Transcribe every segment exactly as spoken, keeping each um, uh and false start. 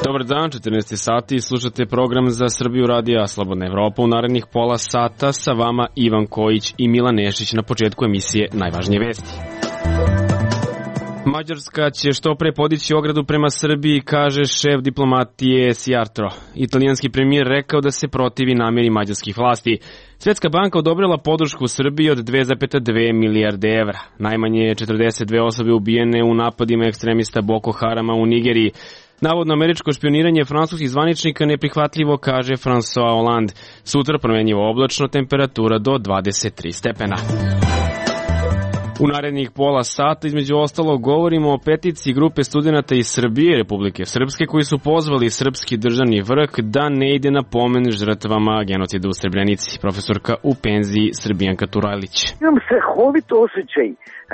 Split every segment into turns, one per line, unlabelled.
Dobar dan, četrnaest sati, slušate program za Srbiju radija Slobodna Evropa. U narednih pola sata sa vama Ivan Kojić i Milan Nešić na početku emisije Najvažnije vesti. Mađarska će što pre podići ogradu prema Srbiji, kaže šef diplomatije Sijarto. Italijanski premijer rekao da se protivi namjeri mađarskih vlasti. Svjetska banka odobrila podršku Srbiji od dve zarez dve milijarde evra. Najmanje četrdeset dve osobe ubijene u napadima ekstremista Boko Harama u Nigeriji. Navodno američko špioniranje francuskih zvaničnika neprihvatljivo, kaže François Hollande. Sutra promenjivo oblačno, temperatura do dvadeset tri stepena. U narednih pola sata, između ostalog, govorimo o peticiji grupe studenata iz Srbije i Republike Srpske koji su pozvali srpski državni vrh da ne ide na pomen žrtvama genocida u Srebrenici. Profesorka u penziji Srbijanka Turajlić.
Imam strahovit osjećaj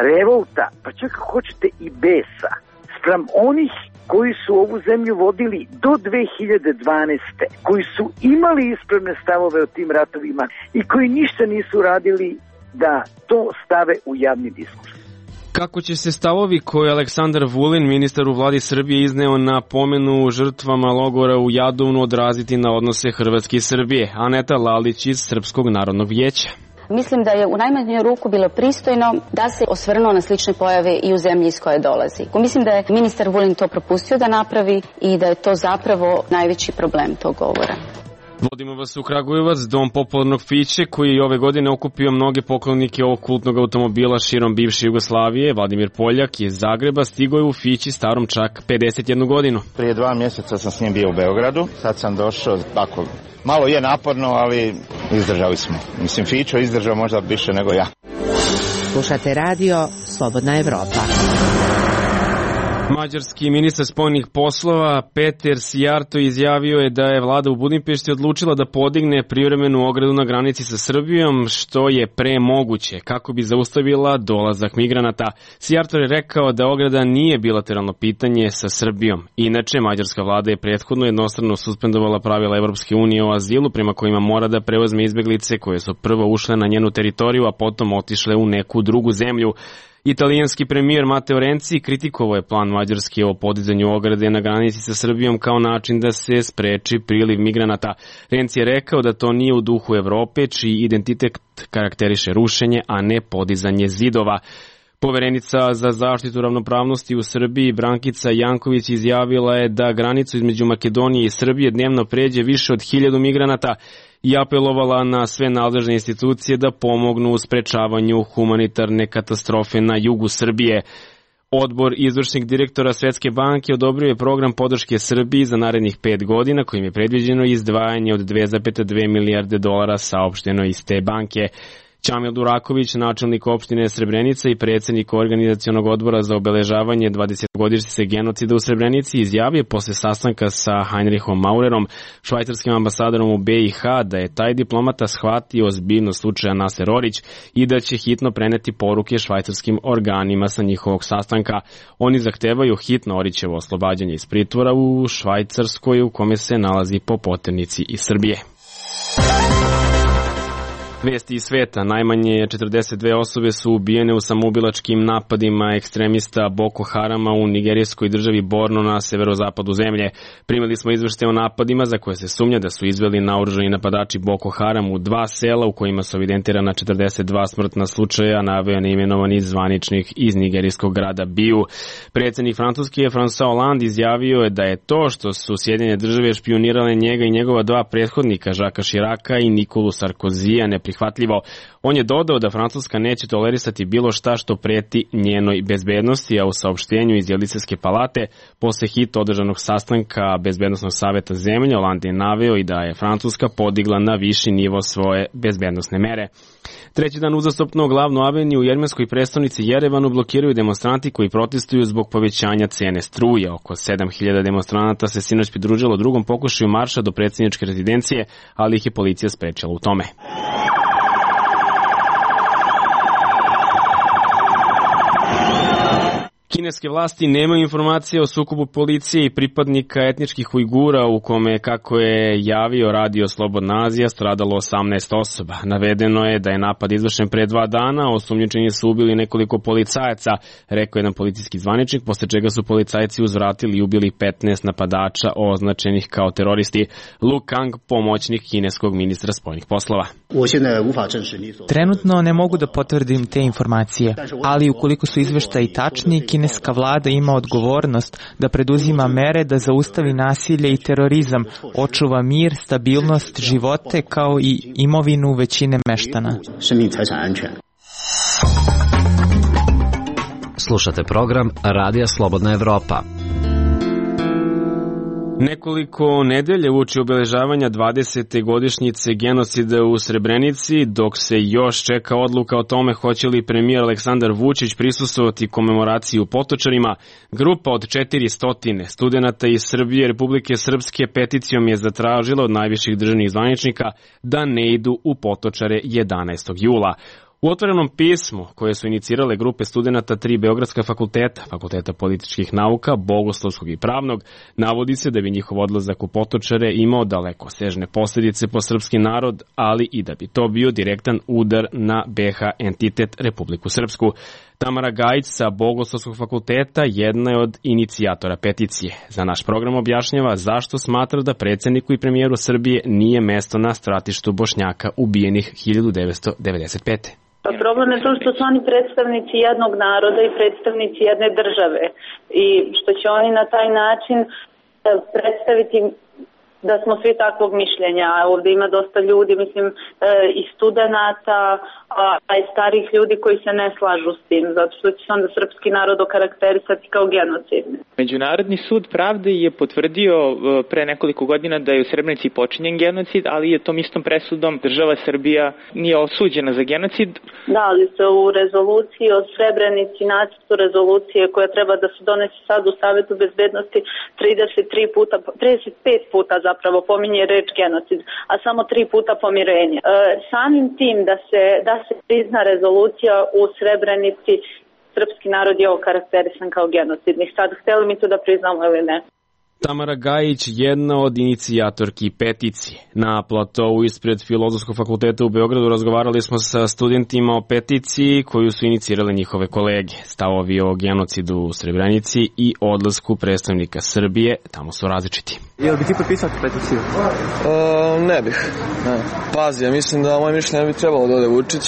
revolta, pa čak ako hoćete i besa, spram onih koji su ovu zemlju vodili do dve hiljade dvanaeste. koji su imali ispravne stavove o tim ratovima i koji ništa nisu radili da to stave u javni diskurs.
Kako će se stavovi koje Aleksandar Vulin, ministar u vladi Srbije, izneo na pomenu žrtvama logora u Jadovnu odraziti na odnose Hrvatske i Srbije? Aneta Lalić iz Srpskog narodnog vijeća.
Mislim da je u najmanju ruku bilo pristojno da se osvrnuo na slične pojave i u zemlji iz koje dolazi. Mislim da je ministar Vulin to propustio da napravi i da je to zapravo najveći problem tog govora.
Vodimo vas u Kragujevac, dom popularnog Fiće, koji je ove godine okupio mnoge poklonike ovog kultnog automobila širom bivše Jugoslavije. Vladimir Poljak iz Zagreba stigao je u Fići starom čak pedeset jednu godinu.
Prije dva mjeseca sam s njim bio u Beogradu, sad sam došao, tako, malo je naporno, ali izdržali smo. Mislim, Fićo izdržao možda više nego ja.
Slušate radio Slobodna Evropa.
Mađarski ministar spoljnih poslova Peter Sijarto izjavio je da je vlada u Budimpešti odlučila da podigne privremenu ogradu na granici sa Srbijom, što je premoguće kako bi zaustavila dolazak migranata. Sijarto je rekao da ograda nije bilateralno pitanje sa Srbijom. Inače, mađarska vlada je prethodno jednostrano suspendovala pravila Evropske unije o azilu, prema kojima mora da preuzme izbeglice koje su prvo ušle na njenu teritoriju, a potom otišle u neku drugu zemlju. Italijanski premijer Matteo Renzi kritikovao je plan Mađarske o podizanju ograde na granici sa Srbijom kao način da se spreči priliv migranata. Renzi je rekao da to nije u duhu Evrope, čiji identitet karakteriše rušenje, a ne podizanje zidova. Poverenica za zaštitu ravnopravnosti u Srbiji Brankica Janković izjavila je da granicu između Makedonije i Srbije dnevno pređe više od hiljadu migranata i apelovala na sve nadležne institucije da pomognu u sprečavanju humanitarne katastrofe na jugu Srbije. Odbor izvršnih direktora Svetske banke odobrio je program podrške Srbiji za narednih pet godina, kojim je predviđeno izdvajanje od dve zarez dve milijarde dolara, saopšteno iz te banke. Čamil Duraković, načelnik opštine Srebrenica i predsjednik organizacionog odbora za obeležavanje dvadesetogodišnjice genocida u Srebrenici, izjavio posle sastanka sa Heinrichom Maurerom, švajcarskim ambasadorom u B i H, da je taj diplomata shvatio ozbiljnost slučaja Naser Orić i da će hitno preneti poruke švajcarskim organima sa njihovog sastanka. Oni zahtevaju hitno Orićevo oslobađanje iz pritvora u Švajcarskoj, u kome se nalazi po poternici iz Srbije. Vesti iz sveta. Najmanje četrdeset dve osobe su ubijene u samoubilačkim napadima ekstremista Boko Harama u nigerijskoj državi Borno na severozapadu zemlje. Primili smo izveštaje o napadima za koje se sumnja da su izveli naoružani napadači Boko Haram u dva sela u kojima su evidentirana četrdeset dva smrtna slučaja, naveo neimenovani zvaničnik iz nigerijskog grada Biju. Predsjednik Francuske François Hollande izjavio je da je to što su Sjedinjene države špionirale njega i njegova dva prethodnika, Jacquesa Chiraca i Nikolu Sarkozija, ne prihvatljivo. On je dodao da Francuska neće tolerisati bilo šta što preti njenoj bezbednosti, a u saopštenju iz Elizejske palate posle hitno održanog sastanka Bezbednosnog saveta zemlje Hollande je naveo i da je Francuska podigla na viši nivo svoje bezbednosne mere. Treći dan uzastopno glavnu aveniju u jermenskoj prestonici Jerevanu blokiraju demonstranti koji protestuju zbog povećanja cene struje. Oko sedam hiljada demonstranata se sinoć pridružilo drugom pokušaju marša do predsjedničke rezidencije, ali ih je policija sprečila u tome. Kineske vlasti nemaju informacije o sukobu policije i pripadnika etničkih Ujgura u kome, kako je javio Radio Slobodna Azija, stradalo osamnaest osoba. Navedeno je da je napad izvršen pre dva dana, osumnjičeni su ubili nekoliko policajaca, rekao jedan policijski zvaničnik, posle čega su policajci uzvratili i ubili petnaest napadača označenih kao teroristi. Lu Kang, pomoćnik kineskog ministra spoljnih poslova.
Trenutno ne mogu da potvrdim te informacije, ali ukoliko su izveštaji tačni, kineska vlada ima odgovornost da preduzima mere da zaustavi nasilje i terorizam, očuva mir, stabilnost, živote kao i imovinu većine meštana.
Slušate program Radija Slobodna Evropa.
Nekoliko nedelje uoči obeležavanja dvadesete godišnjice genocida u Srebrenici, dok se još čeka odluka o tome hoće li premijer Aleksandar Vučić prisustvovati komemoraciji u Potočarima, grupa od četiristo studenata iz Srbije i Republike Srpske peticijom je zatražila od najviših državnih zvaničnika da ne idu u Potočare jedanaestog jula. U otvorenom pismu koje su inicirale grupe studenata tri beogradska fakulteta, Fakulteta političkih nauka, Bogoslovskog i Pravnog, navodi se da bi njihov odlazak u Potočare imao dalekosežne posljedice po srpski narod, ali i da bi to bio direktan udar na be ha entitet Republiku Srpsku. Tamara Gajić sa Bogoslovskog fakulteta jedna je od inicijatora peticije. Za naš program objašnjava zašto smatra da predsjedniku i premijeru Srbije nije mesto na stratištu Bošnjaka ubijenih hiljadu devetsto devedeset pete.
Pa problem je to što su oni predstavnici jednog naroda i predstavnici jedne države i što će oni na taj način predstaviti da smo svi takvog mišljenja. Ovdje ima dosta ljudi, mislim, i studenata, a i starih ljudi koji se ne slažu s tim, zato što će se onda srpski narod okarakterisati kao genocidni.
Međunarodni sud pravde je potvrdio pre nekoliko godina da je u Srebrenici počinjen genocid, ali je tom istom presudom država Srbija nije osuđena za genocid.
Da, ali se u rezoluciji o Srebrenici, nacrtu rezolucije koja treba da se donese sad u Savetu bezbednosti trideset tri puta, trideset pet puta zapravo pominje reč genocid, a samo tri puta pomirenje. E, samim tim da se, da se prizna rezolucija u Srebrenici, srpski narod je okarakterisan kao genocidni. Sad, hteli mi to da priznamo ili ne?
Tamara Gajić, jedna od inicijatorki peticije. Na platovu ispred Filozofskog fakulteta u Beogradu razgovarali smo sa studentima o peticiji koju su inicirale njihove kolege. Stavovi o genocidu u Srebrenici i odlasku predstavnika Srbije tamo su različiti.
Jel bi ti potpisao peticiju?
Uh, ne bih. Ne. Pazi, ja mislim da moje mišljenje bi trebalo da ode Vučić,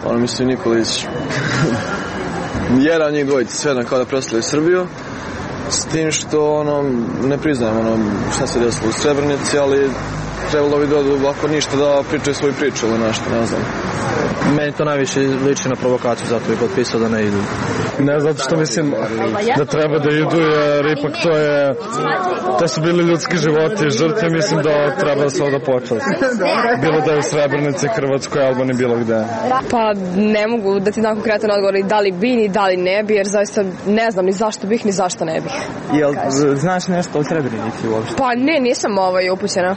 ono mislim Nikolić. Jedan od njih dvojica, sve jedan kao da predstavljaju Srbiju. S tim što ono, ne priznajem ono, šta se desilo u Srebrenici, ali trebalo bi da ako ništa da pričaju svoju priču ili nešto, ne znam.
Meni to najviše liči na provokaciju, zato bih potpisao da ne idu.
Ne, zato što mislim da treba da idu, jer ipak to je, to su bili ljudski životi i žrtve, mislim da treba da se ovdje počast. Bilo da je u Srebrenici, Hrvatskoj, Albaniji, bilo gde.
Pa ne mogu da ti dam konkretan odgovor da li bi ni da li ne bi, jer zaista ne znam ni zašto bih ni zašto ne bih.
Jel znaš nešto o Srebrenici uopšte?
Pa ne, nisam ovaj upućena.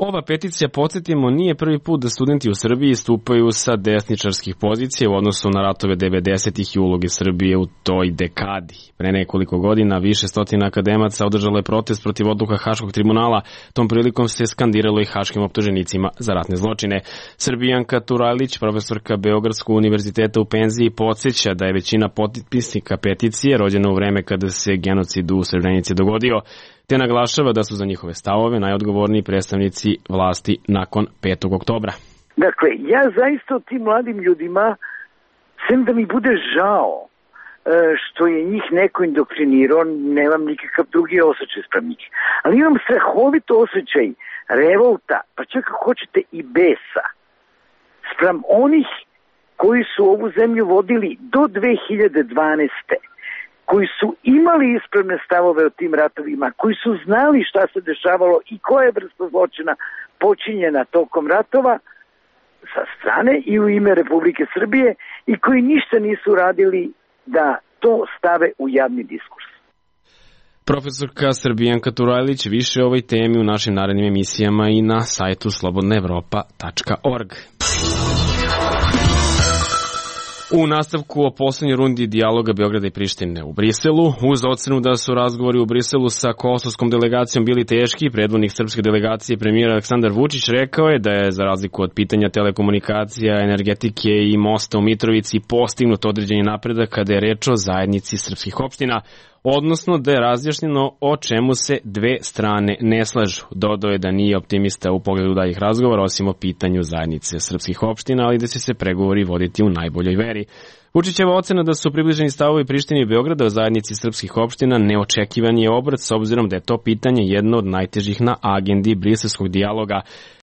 Ova peticija, podsjetimo, nije prvi put da studenti u Srbiji stupaju sa desničarskih pozicija u odnosu na ratove devedesetih i uloge Srbije u toj dekadi. Pre nekoliko godina više stotina akademaca održalo je protest protiv odluka Haškog tribunala. Tom prilikom se skandiralo i haškim optuženicima za ratne zločine. Srbijanka Turajlić, profesorka Beogradskog univerziteta u penziji, podsjeća da je većina potpisnika peticije rođena u vreme kada se genocid u Srebrenici dogodio, te naglašava da su za njihove stavove najodgovorniji predstavnici vlasti nakon petog oktobra.
Dakle, ja zaista o tim mladim ljudima, sem da mi bude žao što je njih neko indoktrinirao, nemam nikakav drugi osjećaj sprem njih. Ali imam strahovito osjećaj revolta, pa čak ako hoćete i besa, sprem onih koji su ovu zemlju vodili do dve hiljade dvanaeste. koji su imali ispravne stavove o tim ratovima, koji su znali šta se dešavalo i koja je vrsta zločina počinjena tokom ratova sa strane i u ime Republike Srbije i koji ništa nisu radili da to stave u javni diskurs.
Profesorka Srbijanka Turajlić, više o ovoj temi u našim narednim emisijama i na sajtu slobodna evropa tačka org. U nastavku o poslednjoj rundi dijaloga Beograda i Prištine u Briselu, uz ocenu da su razgovori u Briselu sa kosovskom delegacijom bili teški, predvodnik srpske delegacije premijer Aleksandar Vučić rekao je da je za razliku od pitanja telekomunikacija, energetike i mosta u Mitrovici postignut određeni napredak kada je reč o zajednici srpskih opština, odnosno da je razjašnjeno o čemu se dve strane ne slažu. Dodao je da nije optimista u pogledu daljih razgovora osim o pitanju zajednice srpskih opština, ali da će se pregovori voditi u najboljoj veri. Vučićeva ocena da su približeni stavovi Prištine i Beograda o zajednici srpskih opština neočekivan je obrat s obzirom da je to pitanje jedno od najtežih na agendi briselskog dijaloga.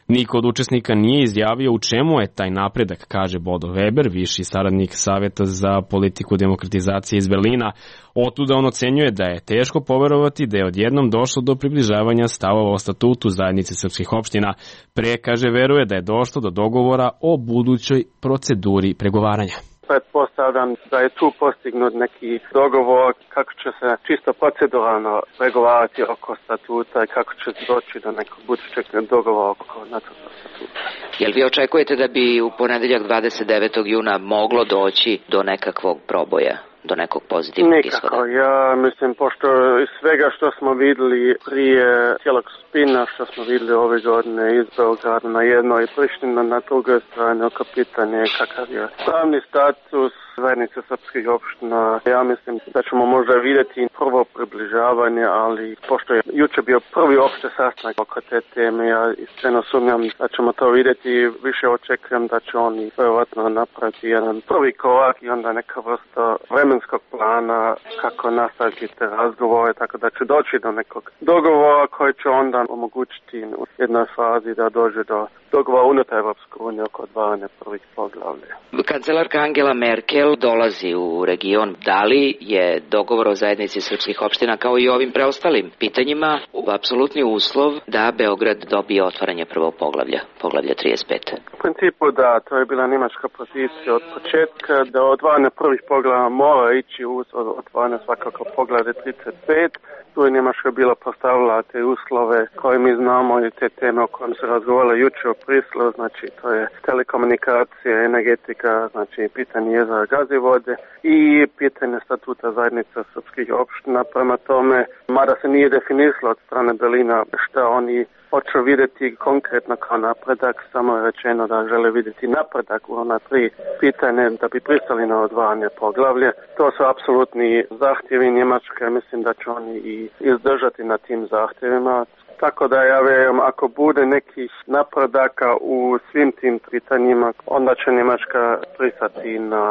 Niko od učesnika nije izjavio u čemu je taj napredak, kaže Bodo Weber, viši saradnik Saveta za politiku demokratizacije iz Berlina. Otuda on ocenjuje da je teško poverovati da je odjednom došlo do približavanja stavova o statutu zajednice srpskih opština. Pre, kaže, veruje da je došlo do dogovora o budućoj proceduri pregovaranja.
Pretpostavljam da je tu postignut neki dogovor kako će se čisto proceduralno pregovarati oko statuta i kako će doći do nekog budućeg dogovora oko nacrta statuta.
Jel vi očekujete da bi u ponedeljak dvadeset devetog juna moglo doći do nekakvog proboja? Do nekog pozitivnog ishoda?
Nikako, ja mislim, pošto iz svega što smo videli prije cijelog spina, što smo videli ove godine iz Beograda na jednoj i Priština na drugoj strani, oko pitanje kakav je pravni status zajednice srpskih opština. Ja mislim da ćemo možda vidjeti prvo približavanje, ali pošto je juče bio prvi opšte sastanak oko te teme, ja iskreno sumnjam da ćemo to vidjeti, više očekujem da će oni vjerovatno napraviti jedan prvi korak i onda neka vrsta vremenskog plana kako nastaviti te razgovore, tako da će doći do nekog dogovora koji će onda omogućiti u jednoj fazi da dođe do dogovora unutar Evropske unije oko otvaranja prvih poglavlja.
Kancelarka Angela Merkel dolazi u region. Da li je dogovor o zajednici srpskih opština kao i ovim preostalim pitanjima apsolutni uslov da Beograd dobije otvaranje prvog poglavlja, poglavlja trideset pet?
U principu da, to je bila njemačka pozicija od početka, da otvaranje prvih poglavlja mora ići uz otvaranje svakako poglavlja trideset pet. Tu je Njemačka bila postavila te uslove koje mi znamo i te teme o kojim se razgovaralo juče u Briselu, znači to je telekomunikacija, energetika, znači pitanje jezera Gazivode i pitanje statuta zajednica srpskih opština. Prema tome, mada se nije definisalo od strane Berlina šta oni hoću vidjeti konkretno kao napredak, samo je rečeno da žele vidjeti napredak u ona tri pitanje da bi pristali na odvajanje poglavlje. To su apsolutni zahtjevi Njemačke, mislim da će oni i izdržati na tim zahtjevima. Tako da ja vjerujem, ako bude nekih napredaka u svim tim pitanjima, onda će Njemačka pristati na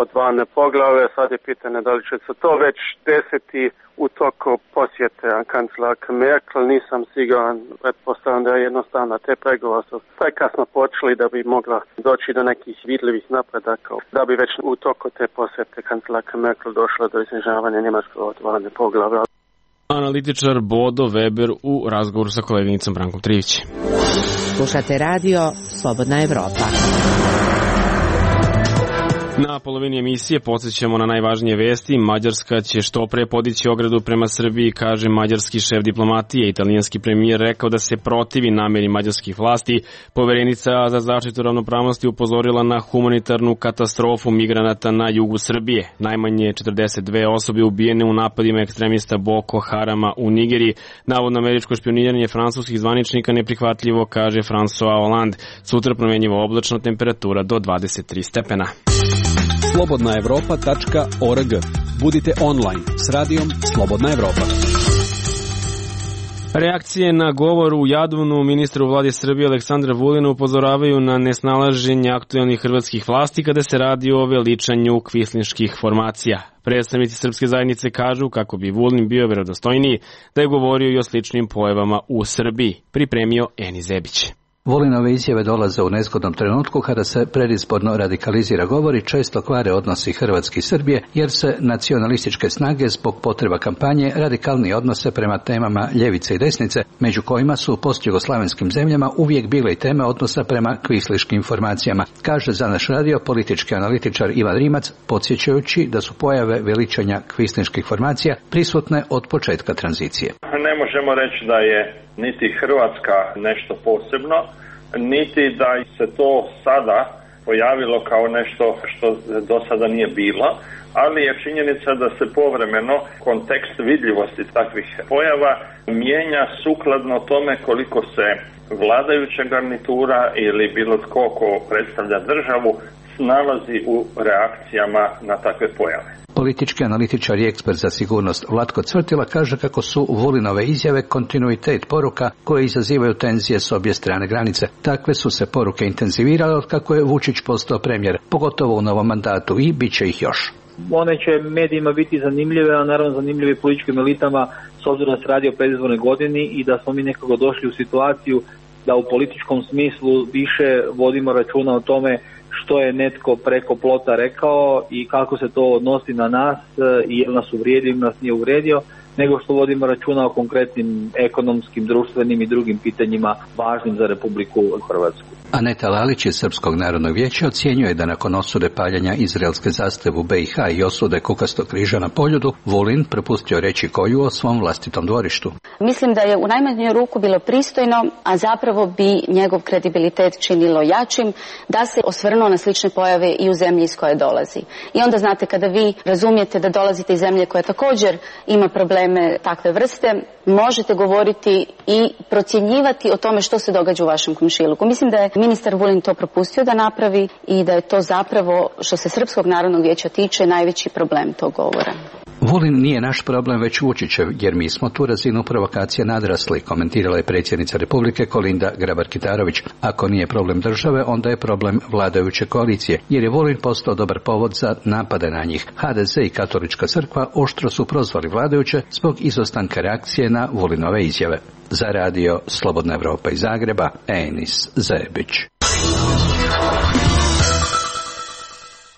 odvajanje poglavlja. Sad je pitanje da li će se to već desiti u toku posjete kancelarke Merkel, nisam siguran, pretpostavljam da je jednostavno te pregovore su prekasno počeli da bi mogla doći do nekih vidljivih napredaka, da bi već u toku te posjete kancelarke Merkel došla do iznižavanja njemačkog otvaranja poglavlja.
Analitičar Bodo Weber u razgovoru sa koleginicom Brankom Trivić.
Slušate radio Slobodna Evropa.
Na polovini emisije podsjećamo na najvažnije vesti. Mađarska će što pre podići ogradu prema Srbiji, kaže mađarski šef diplomatije. Italijanski premijer rekao da se protivi nameri mađarskih vlasti. Poverenica za zaštitu ravnopravnosti upozorila na humanitarnu katastrofu migranata na jugu Srbije. Najmanje četrdeset dve osobe ubijene u napadima ekstremista Boko Harama u Nigeriji. Navodno američko špioniranje francuskih zvaničnika neprihvatljivo, kaže François Hollande. Sutra promenjiva oblačno, temperatura do dvadeset tri stepena.
slobodna evropa tačka org. Budite online s radijom Slobodna Evropa.
Reakcije na govor u Jadovnu ministra u vladi Srbije Aleksandra Vulina upozoravaju na nesnalaženje aktuelnih hrvatskih vlasti kada se radi o veličanju kvislinških formacija. Predstavnici srpske zajednice kažu kako bi Vulin bio verodostojniji da je govorio i o sličnim pojavama u Srbiji. Pripremio Eni Zebić.
Vulinove izjave dolaze u nezgodnom trenutku kada se predizborno radikalizira govor i često kvare odnosi Hrvatske i Srbije, jer se nacionalističke snage zbog potreba kampanje radikalnije odnose prema temama ljevice i desnice, među kojima su u postjugoslavenskim zemljama uvijek bile i teme odnosa prema kvisliškim formacijama, kaže za naš radio politički analitičar Ivan Rimac, podsjećajući da su pojave veličanja kvislinških formacija prisutne od početka tranzicije.
Ne možemo reći da je niti Hrvatska nešto posebno, niti da se to sada pojavilo kao nešto što do sada nije bilo, ali je činjenica da se povremeno kontekst vidljivosti takvih pojava mijenja sukladno tome koliko se vladajuća garnitura ili bilo tko ko predstavlja državu nalazi u reakcijama na takve pojave.
Politički analitičar i ekspert za sigurnost Vlatko Cvrtila kaže kako su Vulinove izjave kontinuitet poruka koje izazivaju tenzije s obje strane granice. Takve su se poruke intenzivirale od kako je Vučić postao premijer, pogotovo u novom mandatu, i bit će ih još.
One će medijima biti zanimljive, a naravno zanimljive političkim elitama s obzirom da se radi o predizbornoj godini i da smo mi nekako došli u situaciju da u političkom smislu više vodimo računa o tome što je netko preko plota rekao i kako se to odnosi na nas i je li nas uvrijedio ili nas nije uvrijedio, nego što vodimo računa o konkretnim ekonomskim, društvenim i drugim pitanjima važnim za Republiku Hrvatsku.
Aneta Lalić iz Srpskog narodnog vijeća ocjenjuje da nakon osude paljenja izraelske zastave u B i H i osude Kukastog križa na Poljudu, Vulin propustio reći koju o svom vlastitom dvorištu.
Mislim da je u najmanju ruku bilo pristojno, a zapravo bi njegov kredibilitet činilo jačim, da se osvrnuo na slične pojave i u zemlji iz koje dolazi. I onda znate, kada vi razumijete da dolazite iz zemlje koja također ima probleme takve vrste, možete govoriti i procjenjivati o tome što se događa u vašem komšiluku. Mislim da je ministar Vulin to propustio da napravi i da je to zapravo, što se Srpskog narodnog vijeća tiče, najveći problem tog govora.
Vulin nije naš problem, već Vučićev, jer mi smo tu razinu provokacije nadrasli, komentirala je predsjednica Republike Kolinda Grabar-Kitarović. Ako nije problem države, onda je problem vladajuće koalicije, jer je Vulin postao dobar povod za napade na njih. H D Z i Katolička crkva oštro su prozvali vladajuće zbog izostanka reakcije na Vulinove izjave. Za radio Slobodna Evropa iz Zagreba, Enis Zebić.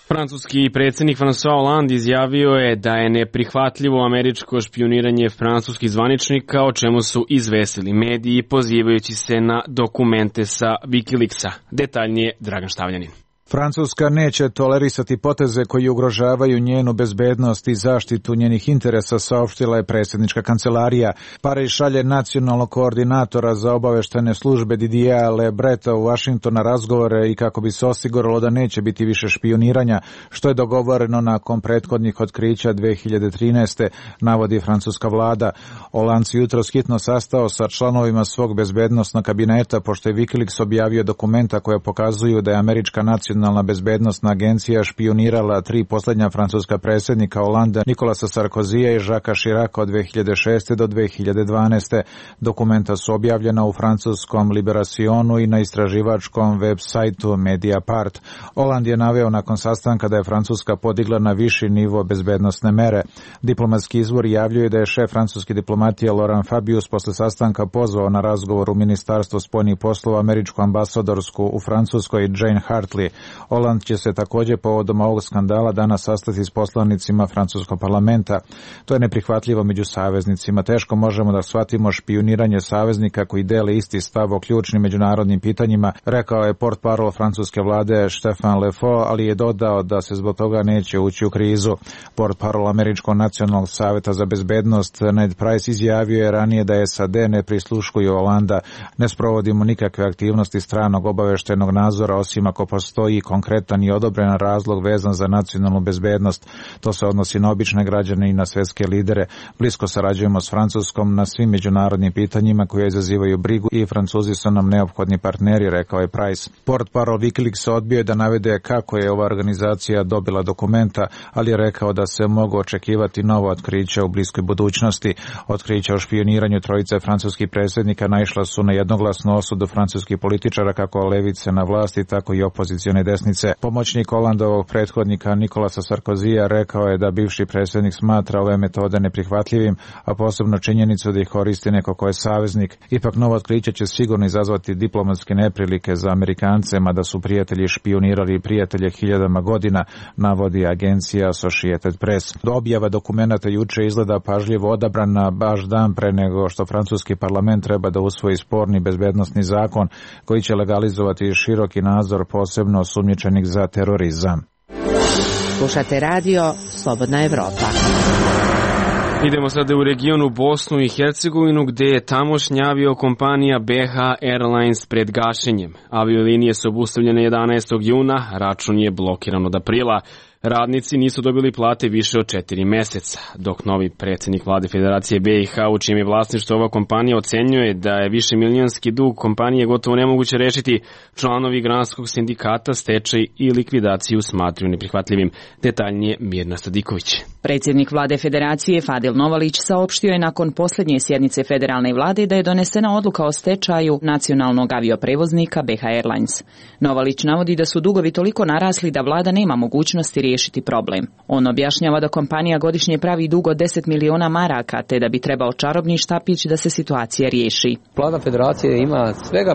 Francuski predsjednik François Hollande izjavio je da je neprihvatljivo američko špijuniranje francuskih zvaničnika, o čemu su izvestili mediji pozivajući se na dokumente sa Wikileaksa. Detaljnije Dragan Štavljanin.
Francuska neće tolerisati poteze koji ugrožavaju njenu bezbednost i zaštitu njenih interesa, saopštila je predsjednička kancelarija. Pariz šalje nacionalnog koordinatora za obaveštene službe Didiera Lebreta u Washington na razgovore i kako bi se osiguralo da neće biti više špijuniranja, što je dogovoreno nakon prethodnih otkrića dve hiljade trinaeste, navodi francuska vlada. Hollande se jutros hitno sastao sa članovima svog bezbednosnog kabineta, pošto je Wikileaks objavio dokumenta koje pokazuju da je američka nacionalna Nacionalna bezbednostna agencija špijunirala tri posljednja francuska predsjednika Hollanda, Nicolasa Sarkozija i Jacquesa Chiraca od dve hiljade šeste do dve hiljade dvanaeste. Dokumenta su objavljena u francuskom Liberationu i na istraživačkom web sajtu Mediapart. Hollande je naveo nakon sastanka da je Francuska podigla na viši nivo bezbednosne mere. Diplomatski izvor javljuje da je šef francuske diplomatije Laurent Fabius posle sastanka pozvao na razgovor u Ministarstvo spoljnih poslova američku ambasadorsku u Francuskoj Jane Hartley. Hollande će se također povodom ovog skandala danas sastati s poslanicima francuskog parlamenta. To je neprihvatljivo među saveznicima. Teško možemo da shvatimo špijuniranje saveznika koji dele isti stav o ključnim međunarodnim pitanjima, rekao je portparol francuske vlade Stéphane Le Foll, ali je dodao da se zbog toga neće ući u krizu. Portparol Američkog nacionalnog saveta za bezbednost Ned Price izjavio je ranije da S A D ne prisluškuju Hollanda. Ne sprovodimo nikakve aktivnosti stranog obaveštenog nadzora osim ako postoji konkretan i odobren razlog vezan za nacionalnu bezbednost. To se odnosi na obične građane i na svjetske lidere. Blisko sarađujemo s Francuskom na svim međunarodnim pitanjima koje izazivaju brigu i Francuzi su nam neophodni partneri, rekao je Price. Portparol Wikileaks odbio je da navede kako je ova organizacija dobila dokumenta, ali je rekao da se mogu očekivati novo otkriće u bliskoj budućnosti. Otkrića o špijuniranju trojice francuskih predsjednika naišla su na jednoglasnu osudu francuskih političara, kako levice na vlasti, tako i opozicione desnice. Pomoćnik Hollandovog prethodnika Nicolasa Sarkozija rekao je da bivši predsjednik smatra ove metode neprihvatljivim, a posebno činjenicu da ih koristi neko ko je saveznik. Ipak novo otkriće će sigurno izazvati diplomatske neprilike za Amerikance, mada su prijatelji špijunirali prijatelje hiljadama godina, navodi agencija Associated Press. Do objava dokumenata juče izgleda pažljivo odabrana baš dan pre nego što francuski parlament treba da usvoji sporni bezbednosni zakon koji će legalizovati široki nadzor posebno osumnjičenih za terorizam.
Slušate radio Slobodna Evropa.
Idemo sada u regionu Bosnu i Hercegovinu, gde je tamošnja aviokompanija B H Airlines pred gašenjem. Aviolinije su obustavljene jedanaestog juna, račun je blokiran od aprila. Radnici nisu dobili plate više od četiri meseca, dok novi predsjednik vlade Federacije B i H, u čijem je vlasništvo ova kompanija, ocenjuje da je višemilionski dug kompanije gotovo nemoguće rešiti. Članovi granskog sindikata stečaj i likvidaciju smatraju neprihvatljivim. Detaljnije Mirna Sadiković.
Predsjednik vlade Federacije Fadil Novalić saopštio je nakon posljednje sjednice federalne vlade da je donesena odluka o stečaju nacionalnog avioprevoznika B H Airlines. Novalić navodi da su dugovi toliko narasli da vlada nema mogućnosti riješiti problem. On objašnjava da kompanija godišnje pravi dug od deset miliona maraka, te da bi trebao čarobni štapić da se situacija riješi.
Vlada Federacije ima svega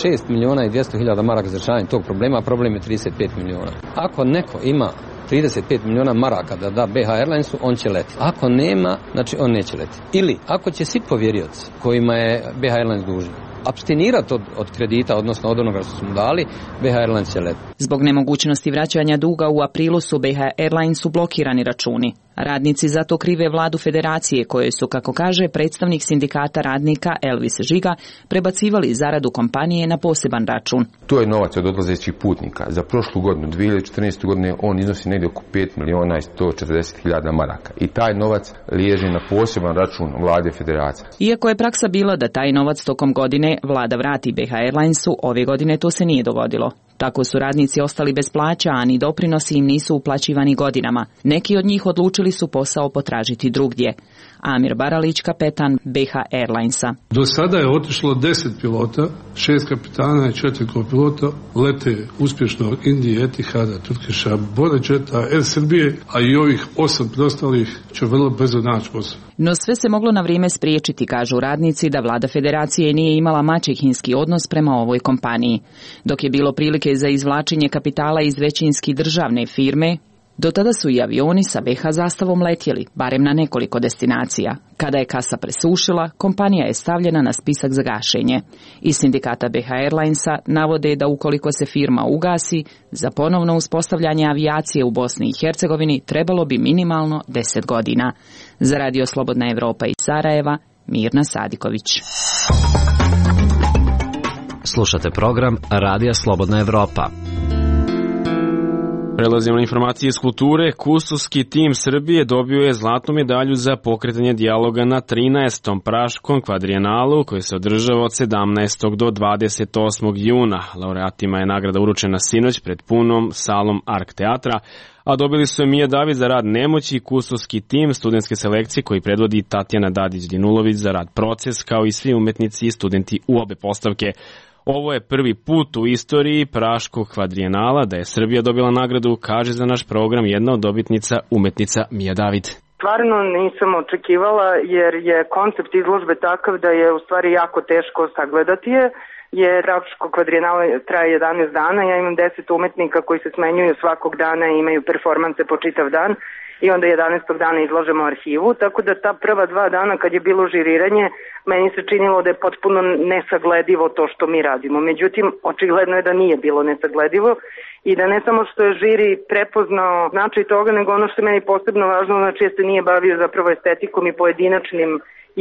šest miliona i dvjesto hiljada maraka za rješavanje tog problema, a problem je trideset pet miliona. Ako neko ima trideset pet miliona maraka da da B H Airlinesu, on će leti. Ako nema, znači on neće leti. Ili ako će svi povjerioci kojima je B H Airlines dužan apstinirati od, od kredita, odnosno od onoga što su mu dali, B H Airlines će leti.
Zbog nemogućnosti vraćanja duga u aprilu su B H Airlinesu blokirani računi. Radnici zato krive vladu Federacije, koje su, kako kaže predstavnik sindikata radnika Elvis Žiga, prebacivali zaradu kompanije na poseban račun.
To je novac od odlazećih putnika. Za prošlu godinu, dvije tisuće četrnaeste. godine, on iznosi negdje oko pet miliona i sto četrdeset hiljada maraka. I taj novac liježi na poseban račun vlade Federacije.
Iako je praksa bila da taj novac tokom godine vlada vrati B H Airlinesu, ove godine to se nije dogodilo. Tako su radnici ostali bez plaća, a ni doprinosi im nisu uplaćivani godinama. Neki od njih odlučili su posao potražiti drugdje. Amir Baralić, kapetan B H Airlinesa.
Do sada je otišlo deset pilota, šest kapitana i četiri kopilota, lete uspješno Indije, Etihada, Turkiša, Bodečeta, Air Srbije, a i ovih osam preostalih će vrlo brzo naći posao.
No sve se moglo na vrijeme spriječiti, kažu radnici, da vlada Federacije nije imala maćehinski odnos prema ovoj kompaniji. Dok je bilo prilike za izvlačenje kapitala iz većinski državne firme, do tada su i avioni sa B H zastavom letjeli, barem na nekoliko destinacija. Kada je kasa presušila, kompanija je stavljena na spisak za gašenje. Iz sindikata B H Airlinesa navode da ukoliko se firma ugasi, za ponovno uspostavljanje avijacije u Bosni i Hercegovini trebalo bi minimalno deset godina. Za Radio Slobodna Evropa iz Sarajeva, Mirna Sadiković.
Slušate program Radija Slobodna Evropa.
Prelazimo na informacije iz kulture. Kustoski tim Srbije dobio je zlatnu medalju za pokretanje dijaloga na trinaestom Praškom kvadrijenalu, koji se održava od sedamnaestog do dvadeset osmog juna. Laureatima je nagrada uručena sinoć pred punom salom Ark teatra, a dobili su Mija David za rad Nemoći, kustoski tim studentske selekcije koji predvodi Tatjana Dadić-Dinulović za rad Proces, kao i svi umetnici i studenti u obe postavke. Ovo je prvi put u istoriji Praškog kvadrijenala da je Srbija dobila nagradu, kaže za naš program jedna od dobitnica, umetnica Mija David.
Stvarno nisam očekivala, jer je koncept izložbe takav da je u stvari jako teško sagledati je, jer Praško kvadrijenala traje jedanaest dana, ja imam deset umetnika koji se smenjuju svakog dana i imaju performanse po čitav dan i onda jedanaestog dana izlažemo arhivu, tako da ta prva dva dana kad je bilo žiriranje, meni se činilo da je potpuno nesagledivo to što mi radimo. Međutim, očigledno je da nije bilo nesagledivo i da ne samo što je žiri prepoznao značaj toga, nego ono što je meni posebno važno, znači je se nije bavio zapravo estetikom i pojedinačnim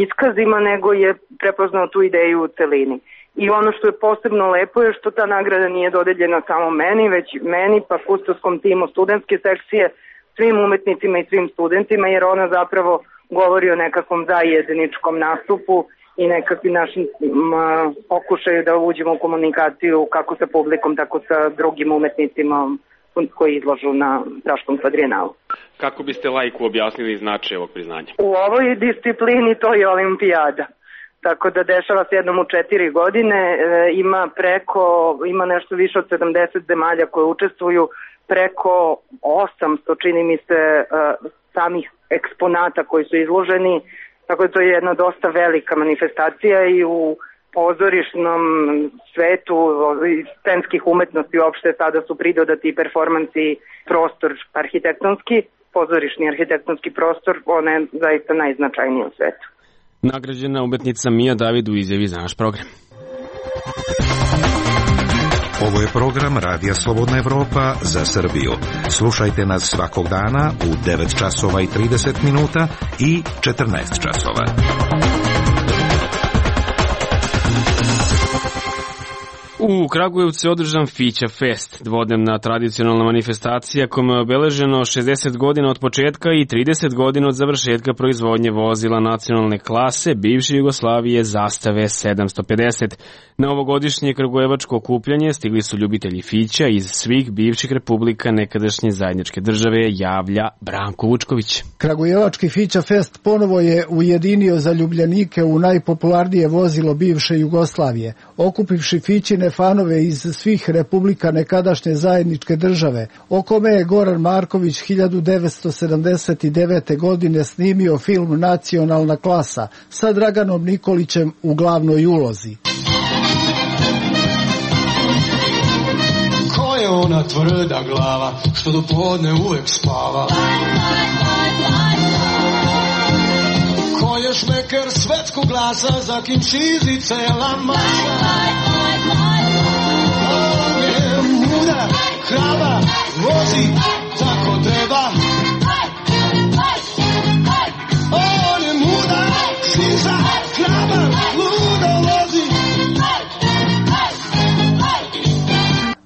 iskazima, nego je prepoznao tu ideju u celini. I ono što je posebno lepo je što ta nagrada nije dodeljena samo meni, već meni pa kustoskom timu studentske sekcije, svim umetnicima i svim studentima, jer ona zapravo govori o nekakvom zajedničkom nastupu i nekakvim našim pokušaju da uđemo u komunikaciju kako sa publikom, tako sa drugim umetnicima koji izlažu na Praškom kvadrijenalu.
Kako biste laiku objasnili značaj ovog priznanja?
U ovoj disciplini to je olimpijada. Tako da dešava se jednom u četiri godine, e, ima preko, ima nešto više od sedamdeset zemalja koje učestvuju, preko osamsto, čini mi se, e, samih eksponata koji su izloženi, tako da to je jedna dosta velika manifestacija i u pozorišnom svetu scenskih umetnosti uopšte sada su pridodati performansi prostor arhitektonski, pozorišni arhitektonski prostor, on je zaista najznačajniji u svetu.
Nagrađena umetnica Mija David u izjavi za naš program.
Ovo je program Radija Slobodna Evropa za Srbiju. Slušajte nas svakog dana u devet časova i trideset minuta i četrnaest časova.
U Kragujevcu je održan Fića Fest, dvodnevna tradicionalna manifestacija kojom je obeleženo šezdeset godina od početka i trideset godina od završetka proizvodnje vozila nacionalne klase bivše Jugoslavije zastave sedamsto pedeset. Na ovogodišnje kragujevačko okupljanje stigli su ljubitelji Fića iz svih bivših republika nekadašnje zajedničke države, javlja Branko Vučković.
Kragujevački Fića Fest ponovo je ujedinio zaljubljenike u najpopularnije vozilo bivše Jugoslavije, okupivši Fićine fanove iz svih republika nekadašnje zajedničke države, o kome je Goran Marković hiljadu devetsto sedamdeset devete. godine snimio film Nacionalna klasa sa Draganom Nikolićem u glavnoj ulozi.
Ko je ona tvrda glava što do podne uvek spava? Ko je šmeker svetskog glasa za kim šizi cela masa? On je muda, hraba, vozi tako treba. On je muda, šiza, hraba, ludo vozi.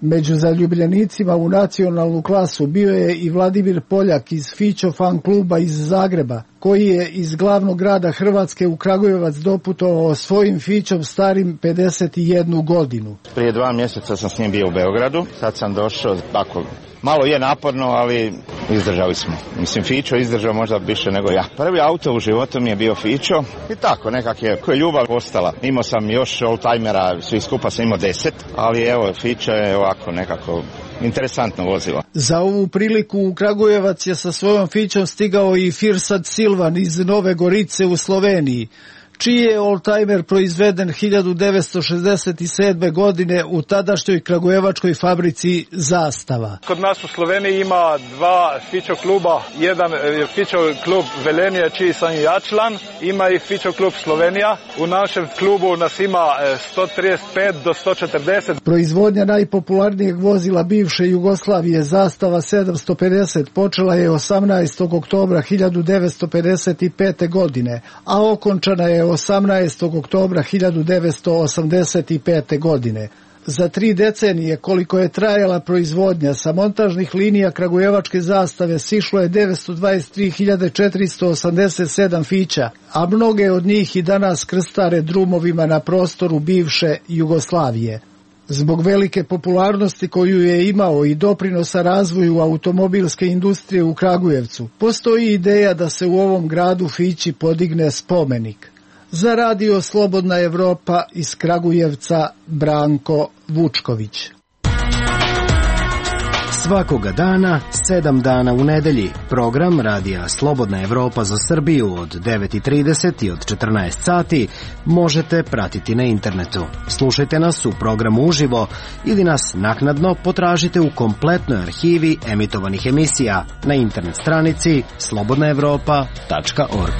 Među zaljubljenicima u nacionalnu klasu bio je i Vladimir Poljak iz Fićo fan kluba iz Zagreba, koji je iz glavnog grada Hrvatske u Kragujevac doputovao svojim Fićom starim pedeset jednu godinu.
Prije dva mjeseca sam s njim bio u Beogradu, sad sam došao, tako, malo je naporno, ali izdržali smo. Mislim, Fićo izdržao možda više nego ja. Prvi auto u životu mi je bio Fićo i tako, nekak je, koja je ljubav ostala. Imao sam još oldtimera, svi skupa sam imao deset, ali evo, Fićo je ovako nekako interesantno vozilo.
Za ovu priliku u Kragujevac je sa svojom Fićom stigao i Firsad Silvan iz Nove Gorice u Sloveniji, čiji je oldtimer proizveden hiljadu devetsto šezdeset sedme. godine u tadašnjoj kragujevačkoj fabrici Zastava.
Kod nas u Sloveniji ima dva Fićo kluba. Jedan je Fićo klub Velenje, čiji sam i ja član. Ima i Fićo klub Slovenija. U našem klubu nas ima sto trideset pet do sto četrdeset.
Proizvodnja najpopularnijeg vozila bivše Jugoslavije Zastava sedamsto pedeset počela je osamnaestog oktobra hiljadu devetsto pedeset pete. godine, a okončana je osamnaestog oktobra hiljadu devetsto osamdeset pete. godine. Za tri decenije koliko je trajala proizvodnja, sa montažnih linija kragujevačke Zastave sišlo je devetsto dvadeset tri hiljade četiristo osamdeset sedam Fića, a mnoge od njih i danas krstare drumovima na prostoru bivše Jugoslavije. Zbog velike popularnosti koju je imao i doprinosa razvoju automobilske industrije u Kragujevcu, postoji ideja da se u ovom gradu Fići podigne spomenik. Za Radio Slobodna Evropa iz Kragujevca, Branko Vučković.
Svakoga dana, sedam dana u nedelji, program Radija Slobodna Evropa za Srbiju od devet i trideset i od četrnaest sati možete pratiti na internetu. Slušajte nas u programu uživo ili nas naknadno potražite u kompletnoj arhivi emitovanih emisija na internet stranici slobodna evropa tačka org.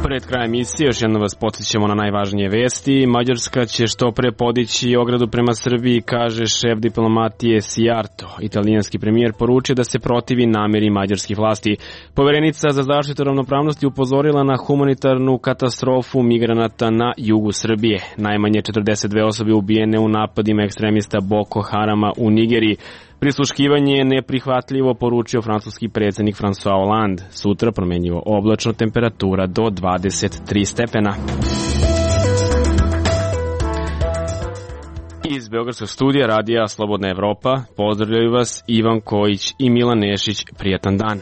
Pred krajem emisije još jedno vas podsjećamo na najvažnije vesti. Mađarska će što pre podići ogradu prema Srbiji, kaže šef diplomatije Sijarto. Italijanski premijer poručio da se protivi nameri mađarskih vlasti. Poverenica za zaštitu ravnopravnosti upozorila na humanitarnu katastrofu migranata na jugu Srbije. Najmanje četrdeset dve osobe ubijene u napadima ekstremista Boko Harama u Nigeriji. Prisluškivanje je neprihvatljivo, poručio francuski predsjednik François Hollande. Sutra promenjivo oblačno, temperatura do dvadeset tri stepena. Iz Beogradskog studija Radija Slobodna Evropa pozdravljaju vas Ivan Kojić i Milan Nešić. Prijatan dan.